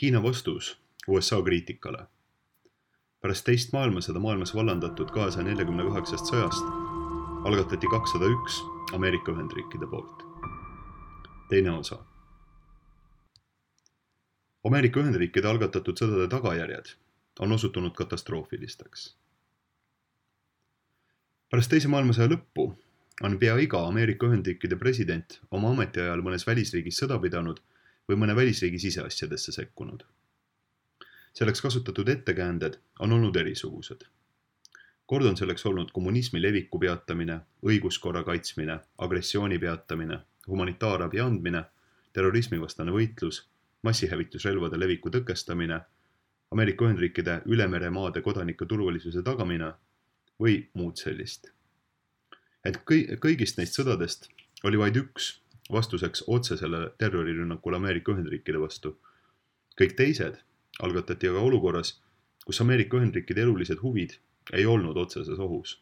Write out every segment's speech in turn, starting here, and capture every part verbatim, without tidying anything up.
Hiina vastus U S A kriitikale. Pärast teist maailmasõda maailmas vallandatud kahesaja neljakümne kaheksast sõjast algatati kakssada üks Ameerika Ühendriikide poolt. Teine osa. Ameerika Ühendriikide algatatud sõdade tagajärjed on osutunud katastroofilisteks. Pärast teise maailmasõja lõppu on pea iga Ameerika Ühendriikide president oma ametiajal mõnes välisriigis sõda pidanud või mõne välisriigi siseasjadesse sekkunud. Selleks kasutatud ettekäänded on olnud erisugused. Kord on selleks olnud kommunismi leviku peatamine, õiguskorra kaitsmine, agressiooni peatamine, humanitaarabi andmine, terrorismivastane võitlus, massihävitusrelvade leviku tõkestamine, Ameerika Ühendriikide ülemeremaade kodanike turvalisuse tagamine või muud sellist. Et kõigist neist sõdadest oli vaid üks vastuseks otsesele terrorirünnakule Ameerika Ühendriikide vastu. Kõik teised algatati aga olukorras, kus Ameerika Ühendriikide elulised huvid ei olnud otseses ohus.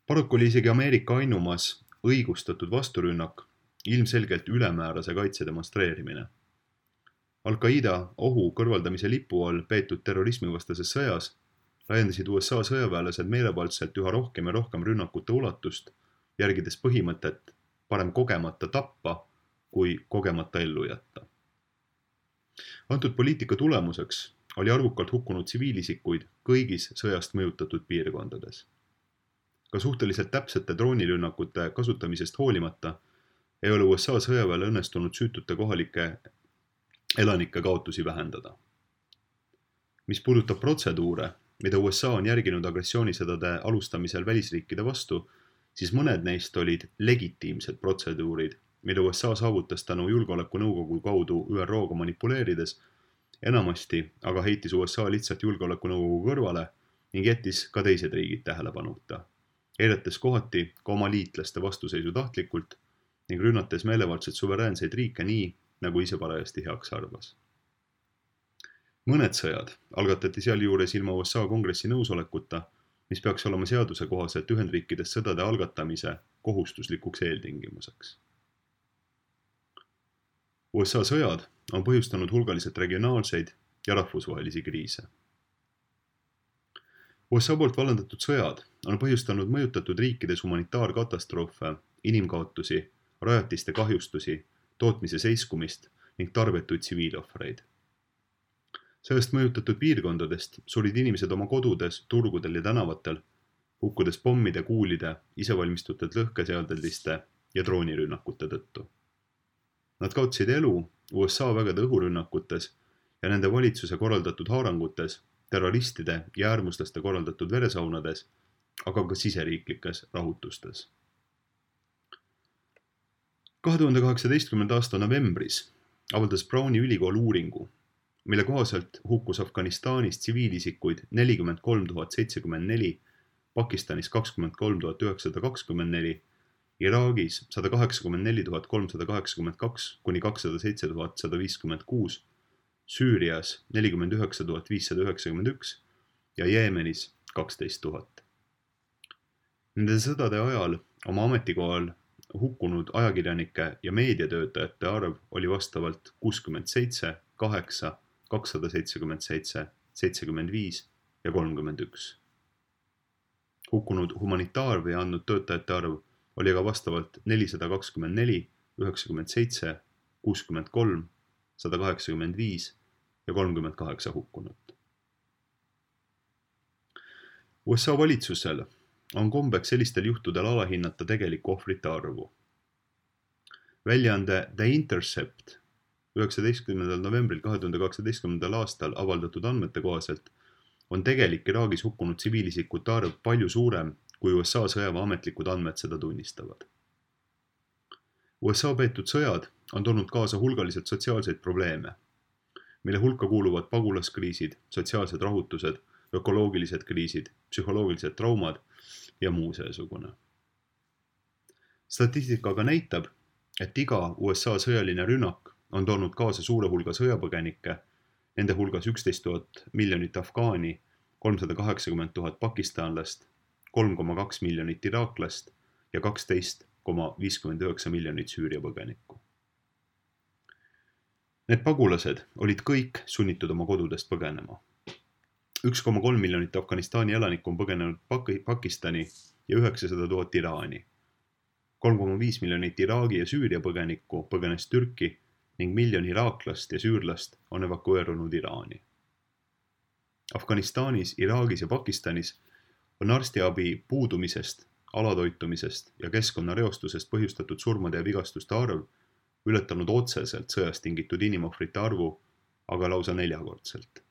Paraku oli isegi Ameerika ainumas õigustatud vasturünnak ilmselgelt ülemäärase kaitse demonstreerimine. Al-Qaida ohu kõrvaldamise lipu all peetud terrorismivastases sõjas laiendasid U S A sõjaväelased meelevaldselt üha rohkem ja rohkem rünnakute ulatust, järgides põhimõtet parem kogemata tappa kui kogemata ellu jätta. Antud poliitika tulemuseks oli arvukalt hukkunud tsiviilisikuid kõigis sõjast mõjutatud piirkondades. Ka suhteliselt täpsete droonirünnakute kasutamisest hoolimata ei ole U S A sõjaväele õnnestunud süütute kohalike elanike kaotusi vähendada. Mis puudutab protseduure, mida U S A on järginud agressioonisõdade alustamisel välisriikide vastu, siis mõned neist olid legitiimsed protseduurid, mida U S A saavutas tänu julgeolekunõukogu kaudu Ü R O-ga manipuleerides, enamasti aga heitis U S A lihtsalt julgeolekunõukogu kõrvale ning jättis ka teised riigid tähelepanuta, eirates kohati ka oma liitlaste vastuseisu tahtlikult ning rünnates meelevaldselt suveräänseid riike nii, nagu ise parajasti heaks arvas. Mõned sõjad algatati sealjuures ilma U S A kongressi nõusolekuta, mis peaks olema seaduse kohaselt Ühendriikides sõdade algatamise kohustuslikuks eeltingimuseks. U S A sõjad on põhjustanud hulgaliselt regionaalseid ja rahvusvahelisi kriise. U S A poolt vallandatud sõjad on põhjustanud mõjutatud riikides humanitaarkatastroofe, inimkaotusi, rajatiste kahjustusi, tootmise seiskumist ning tarbetuid tsiviilohvreid. Sellest mõjutatud piirkondadest surid inimesed oma kodudes, turgudel ja tänavatel, hukkudes pommide, kuulide, isevalmistutud lõhkeseadeldiste ja droonirünnakute tõttu. Nad kaotsid elu U S A vägede õhurünnakutes ja nende valitsuse korraldatud haarangutes, terroristide ja äärmuslaste korraldatud veresaunades, aga ka siseriiklikes rahutustes. kahe tuhande kaheksateistkümnenda aasta novembris avaldas Browni ülikool uuringu, mille kohaselt hukkus Afganistanis tsiviilisikuid nelikümmend kolm tuhat seitsekümmend neli, Pakistanis kakskümmend kolm tuhat üheksasada kakskümmend neli, Iraagis sada kaheksakümmend neli tuhat kolmsada kaheksakümmend kaks kuni kakssada seitse tuhat sada viiskümmend kuus, Süürias nelikümmend üheksa tuhat viissada üheksakümmend üks ja Jeemenis kaksteist tuhat. Nende sõdade ajal oma ametikohal hukkunud ajakirjanike ja meediatöötajate arv oli vastavalt kuuskümmend seitse, kaheksa, kakssada seitsekümmend seitse, seitsekümmend viis ja kolmkümmend üks. Hukkunud humanitaarvi andnud töötajate arv oli aga vastavalt nelisada kakskümmend neli, üheksakümmend seitse, kuuskümmend kolm, sada kaheksakümmend viis ja kolmkümmend kaheksa hukkunut. U S A valitsusel on kombeks sellistel juhtudel alahinnata tegelikku ohvrite arvu. Väljaande The Intercept üheksateistkümnendal novembril kahe tuhande kaheksateistkümnendal aastal avaldatud andmete kohaselt on tegelik Iraagis hukkunud tsiviilisikute arv palju suurem, kui U S A sõjaväe ametlikud andmed seda tunnistavad. U S A peetud sõjad on toonud kaasa hulgaliselt sotsiaalseid probleeme, mille hulka kuuluvad pagulaskriisid, sotsiaalsed rahutused, ökoloogilised kriisid, psühholoogilised traumad ja muu seesugune. Statistika aga näitab, et iga U S A sõjaline rünnak on toonud kaasa suure hulga sõjapõgenikke, nende hulgas üksteist tuhat miljonit afgaani, kolmsada kaheksakümmend tuhat pakistanlast, kolm koma kaks miljonit iraaklast ja kaksteist koma viiskümmend üheksa miljonit Süüria põgenikku. Need pagulased olid kõik sunnitud oma kodudest põgenema. üks koma kolm miljonit Afganistani elanikku on põgenenud Pakistani ja üheksasada tuhat Iraani. kolm koma viis miljonit Iraagi ja Süüria põgenikku põgenes Türki ning miljon iraaklast ja süürlast on evakueerunud Iraani. Afganistanis, Iraagis ja Pakistanis on arstiabi puudumisest, alatoitumisest ja keskkonnareostusest põhjustatud surmade ja vigastuste arv ületanud otseselt sõjast tingitud inimohvrite arvu, aga lausa neljakordselt.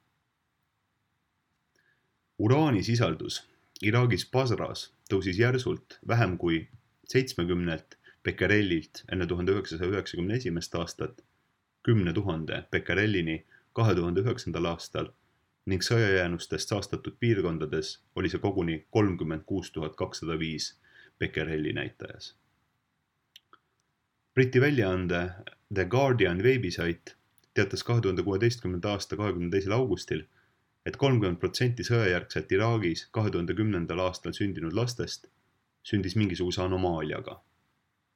Uraani sisaldus Iraagis Basras tõusis järsult vähem kui seitsmekümnelt bekerellilt enne tuhande üheksasaja üheksakümne esimest aastat kümne tuhande bekerellini kahe tuhande üheksandal aastal ning sõjajäänustest saastatud piirkondades oli see koguni kolmkümmend kuus tuhat kakssada viis bekerelli näitajas. Briti väljaande The Guardian veebisait teatas kahe tuhande kuueteistkümnenda aasta kahekümne teisel augustil, et kolmkümmend protsenti sõjajärgselt Iraagis kahe tuhande kümnendal aastal sündinud lastest sündis mingisuguse anomaaliaga.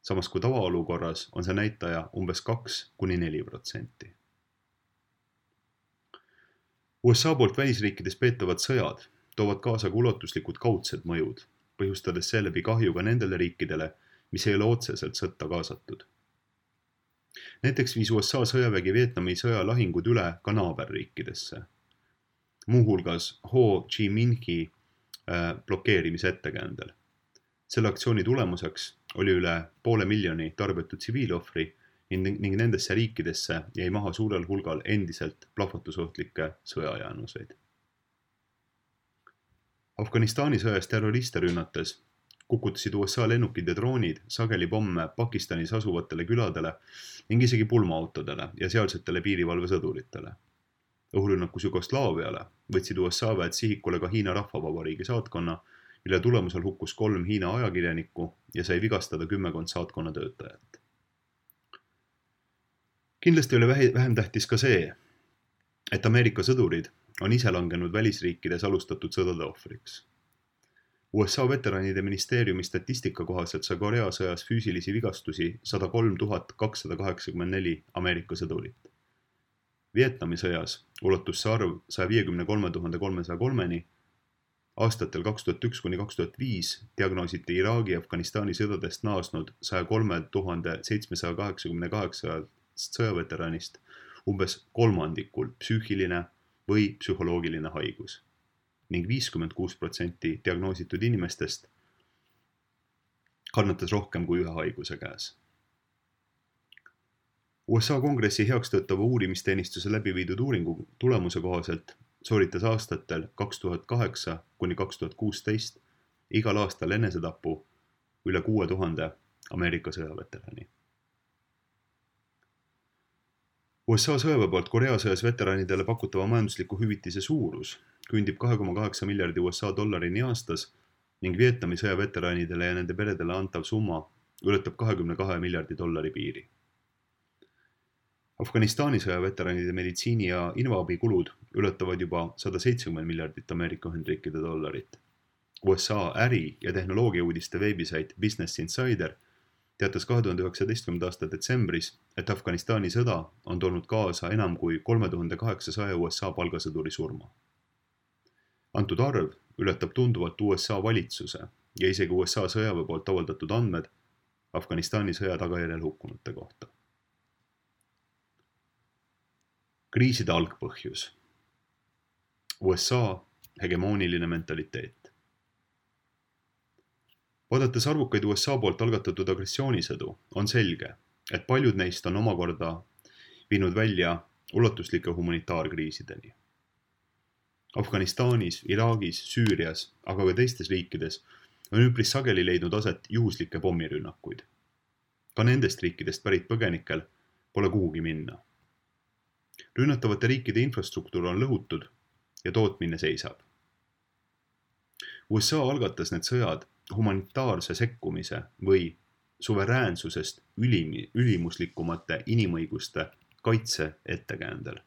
Samas kui tavaolukorras on see näitaja umbes kaks kuni neli protsenti. U S A poolt välisriikides peetavad sõjad toovad kaasa ka ulatuslikud kaudsed mõjud, põhjustades seeläbi kahju ka nendele riikidele, mis ei ole otseselt sõtta kaasatud. Näiteks viis U S A sõjavägi Vietnami sõja lahingud üle ka naaberriikidesse, muuhulgas Ho Chi Minhi blokeerimise ettekäändel. Selle aktsiooni tulemuseks oli üle poole miljoni tarbetud tsiviilohvri ning nendesse riikidesse jäi maha suurel hulgal endiselt plahvatusohtlikke sõjajäänuseid. Afganistani sõjas terroriste rünnates kukutasid U S A lennukid ja droonid sageli pomme Pakistanis asuvatele küladele ning isegi pulmaautodele ja sealsetele piirivalvesõduritele. Õhurünnakus Jugoslaaviale võtsid U S A väed sihikule ka Hiina Rahvavabariigi saatkonna, mille tulemusel hukkus kolm Hiina ajakirjanikku ja sai vigastada kümmekond saatkonna töötajat. Kindlasti oli vähem tähtis ka see, et Ameerika sõdurid on ise langenud välisriikides alustatud sõdade ohvriks. U S A veteranide ministeeriumi statistika kohaselt sai Korea sõjas füüsilisi vigastusi sada kolm tuhat kakssada kaheksakümmend neli Ameerika sõdurit. Vietnami sõjas ulatus see arv saja viiekümne kolme tuhande kolmesaja kolmeni. Aastatel kaks tuhat üks kuni kaks tuhat viis diagnoositi Iraagi ja Afganistani sõdadest naasnud saja kolme tuhande seitsmesaja kaheksakümne kaheksa sõjaveteranist umbes kolmandikul psüühiline või psühholoogiline haigus ning viiskümmend kuus protsenti diagnoositud inimestest kannatas rohkem kui ühe haiguse käes. U S A kongressi heakstõtava uurimisteenistuse läbi viidud uuringu tulemuse kohaselt sooritas aastatel kaks tuhat kaheksa kuni kaks tuhat kuusteist igal aastal enesetapu üle kuue tuhande Ameerika sõjaveterani. U S A sõjaväe poolt Korea sõjas veteranidele pakutava majandusliku hüvitise suurus küündib kahe koma kaheksa miljardi U S A dollarini aastas ning Vietnami sõjaveteranidele ja nende peredele antav summa ületab kahekümne kahe miljardi dollari piiri. Afganistani sõjaveteranide meditsiini ja invaabi kulud ületavad juba sada seitsekümmend miljardit Ameerika Ühendriikide dollarit. U S A äri- ja tehnoloogiauudiste veebisait Business Insider teatas kahe tuhande üheksateistkümnenda aasta detsembris, et Afganistani sõda on toonud kaasa enam kui kolme tuhande kaheksasaja U S A palgasõduri surma. Antud arv ületab tunduvalt U S A valitsuse ja isegi U S A sõjaväe poolt avaldatud andmed Afganistani sõja tagajärjel hukkunute kohta. Kriiside algpõhjus. U S A hegemooniline mentaliteet. Vaadates arvukaid U S A poolt algatatud agressioonisõdu, on selge, et paljud neist on omakorda viinud välja ulatuslike humanitaarkriisideni. Afganistanis, Iraagis, Süürias, aga ka teistes riikides on üpris sageli leidnud aset juhuslikke pommirünnakuid. Ka nendest riikidest pärit põgenikel pole kuhugi minna. Rünnatavate riikide infrastruktuur on lõhutud ja tootmine seisab. U S A algatas need sõjad humanitaarse sekkumise või suveräänsusest ülimi, ülimuslikumate inimõiguste kaitse ettekäändel.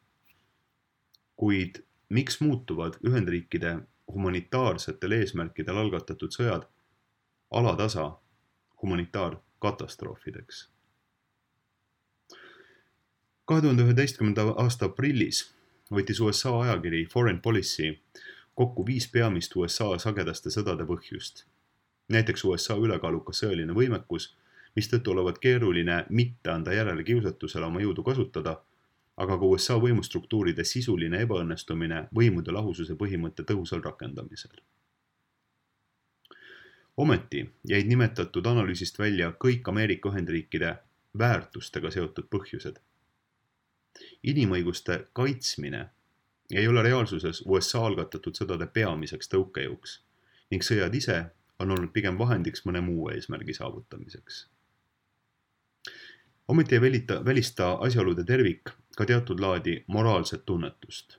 Kuid miks muutuvad Ühendriikide humanitaarsetel eesmärkidel algatatud sõjad alatasa humanitaarkatastroofideks? kahe tuhande üheteistkümnenda aasta aprillis võttis U S A ajakiri Foreign Policy kokku viis peamist U S A sagedaste sõdade põhjust. Näiteks U S A ülekaalukas sõjaline võimekus, mistõttu olevat keeruline mitte anda järele kiusatusele oma jõudu kasutada, aga ka U S A võimustruktuuride sisuline ebaõnnestumine võimude lahususe põhimõtte tõhusal rakendamisel. Ometi jäid nimetatud analüüsist välja kõik Ameerika Ühendriikide väärtustega seotud põhjused. Inimõiguste kaitsmine ei ole reaalsuses U S A algatatud sõdade peamiseks tõukejõuks ning sõjad ise on olnud pigem vahendiks mõne muu eesmärgi saavutamiseks. Ometi ei välita, välista asjaolude tervik ka teatud laadi moraalset tunnetust.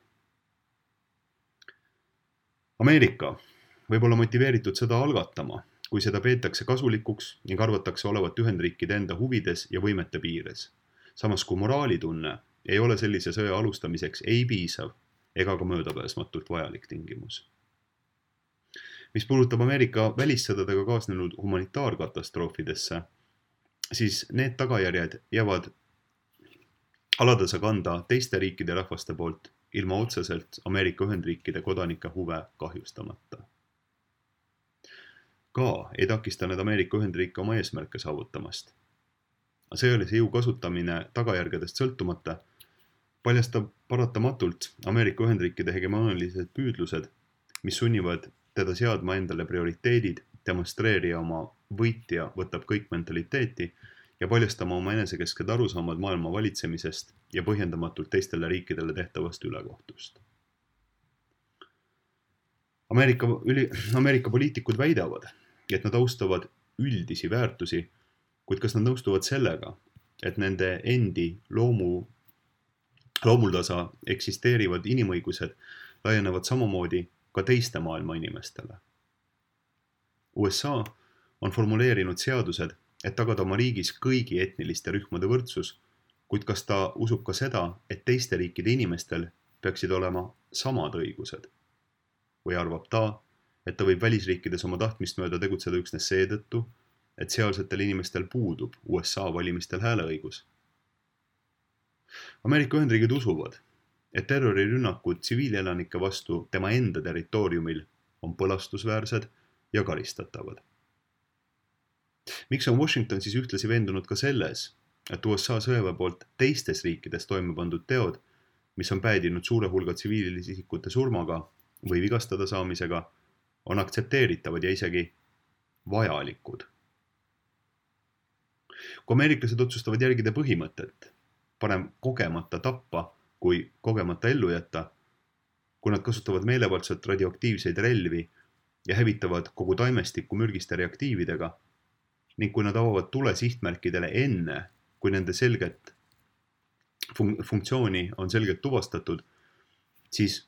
Ameerika võib olla motiveeritud sõda algatama, kui seda peetakse kasulikuks ning arvatakse olevat Ühendriikide enda huvides ja võimete piires. Samas kui moraalitunne ei ole sellise sõja alustamiseks ei piisav ega ka möödapääsmatult vajalik tingimus. Mis puudutab Ameerika välissõdadega kaasnenud humanitaarkatastroofidesse, siis need tagajärjed jäävad alatasa kanda teiste riikide rahvaste poolt ilma otseselt Ameerika Ühendriikide kodanike huve kahjustamata. Ka ei takista need Ameerika Ühendriike oma eesmärke saavutamast. Sõjalise jõu kasutamine tagajärgedest sõltumata paljastab paratamatult Ameerika Ühendriikide hegemoonilised püüdlused, mis sunnivad teda seadma endale prioriteedid, demonstreerija oma võitja võtab kõik mentaliteeti ja paljastama oma enesekesked arusaamad maailma valitsemisest ja põhjendamatult teistele riikidele tehtavast ülekohtust. Ameerika, üli, Ameerika poliitikud väidavad, et nad austavad üldisi väärtusi, kuid kas nad nõustuvad sellega, et nende endi loomu, loomuldasa eksisteerivad inimõigused laienevad samamoodi ka teiste maailma inimestele. U S A on formuleerinud seadused, et tagada oma riigis kõigi etniliste rühmade võrdsus, kuid kas ta usub ka seda, et teiste riikide inimestel peaksid olema samad õigused? Või arvab ta, et ta võib välisriikides oma tahtmist mööda tegutseda üksnes seetõttu, et sealsetel inimestel puudub U S A valimistel hääleõigus? Ameerika Ühendriigid usuvad, et terrorirünnakud tsiviilelanike vastu tema enda territooriumil on põlastusväärsed ja karistatavad. Miks on Washington siis ühtlasi veendunud ka selles, et U S A sõjaväe poolt teistes riikides toime pandud teod, mis on päädinud suure hulga tsiviilisikute surmaga või vigastada saamisega, on aktsepteeritavad ja isegi vajalikud. Kui ameeriklased otsustavad järgida põhimõtet, parem kogemata tappa kui kogemata ellu jätta, kui nad kasutavad meelevaldselt radioaktiivseid relvi ja hävitavad kogu taimestikku mürgiste reaktiividega ning kui nad avavad tule sihtmärkidele enne, kui nende selget fun- funktsiooni on selgelt tuvastatud, siis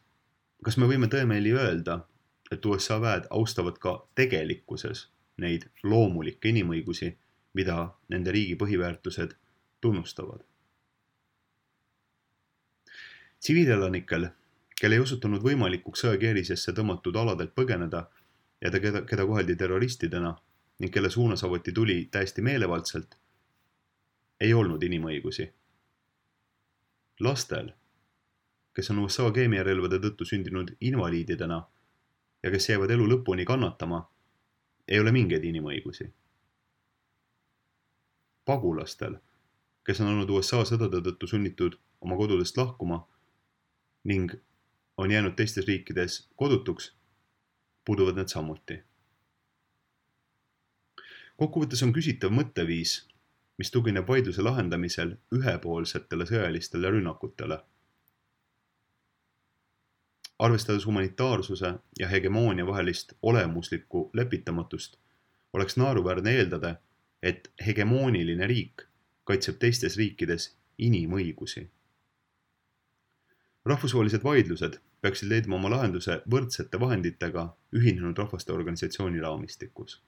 kas me võime tõemeeli öelda, et U S A väed austavad ka tegelikkuses neid loomulikke inimõigusi, mida nende riigi põhiväärtused tunnustavad? Tsiviilelanikel, kelle ei osutunud võimalikuks sõjakeerisesse tõmmatud aladelt põgeneda ja keda, keda koheldi terroristidena ning kelle suunas avati tuli täiesti meelevaldselt, ei olnud inimõigusi. Lastel, kes on U S A keemiarelvade tõttu sündinud invaliididena ja kes jäävad elu lõpuni kannatama, ei ole mingeid inimõigusi. Pagulastel, kes on olnud U S A sõdade tõttu sunnitud oma kodudest lahkuma ning on jäänud teistes riikides kodutuks, puuduvad need samuti. Kokkuvõttes on küsitav mõtteviis, mis tugineb vaidluse lahendamisel ühepoolsetele sõjalistele rünnakutele. Arvestades humanitaarsuse ja hegemoonia vahelist olemuslikku lepitamatust, oleks naeruväärne eeldada, et hegemooniline riik kaitseb teistes riikides inimõigusi. Rahvusvahelised vaidlused peaksid leidma oma lahenduse võrdsete vahenditega Ühinenud Rahvaste Organisatsiooni raamistikus.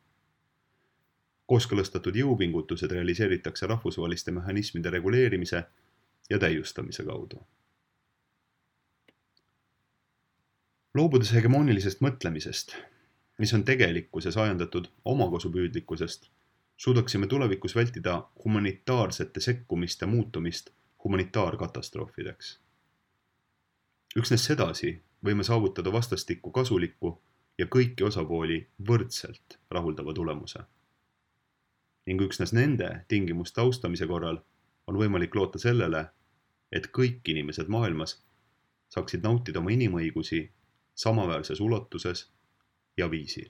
Kooskõlastatud jõupingutused realiseeritakse rahvusvaheliste mehhanismide reguleerimise ja täiustamise kaudu. Loobudes hegemoonilisest mõtlemisest, mis on tegelikkuses ajendatud omakasupüüdlikkusest, suudaksime tulevikus vältida humanitaarsete sekkumiste muutumist humanitaarkatastroofideks. Üksnes sedasi võime saavutada vastastikku kasulikku ja kõiki osapooli võrdselt rahuldava tulemuse. Ning üksnes nende tingimuste austamise korral on võimalik loota sellele, et kõik inimesed maailmas saaksid nautida oma inimõigusi samaväärses ulatuses ja viisil.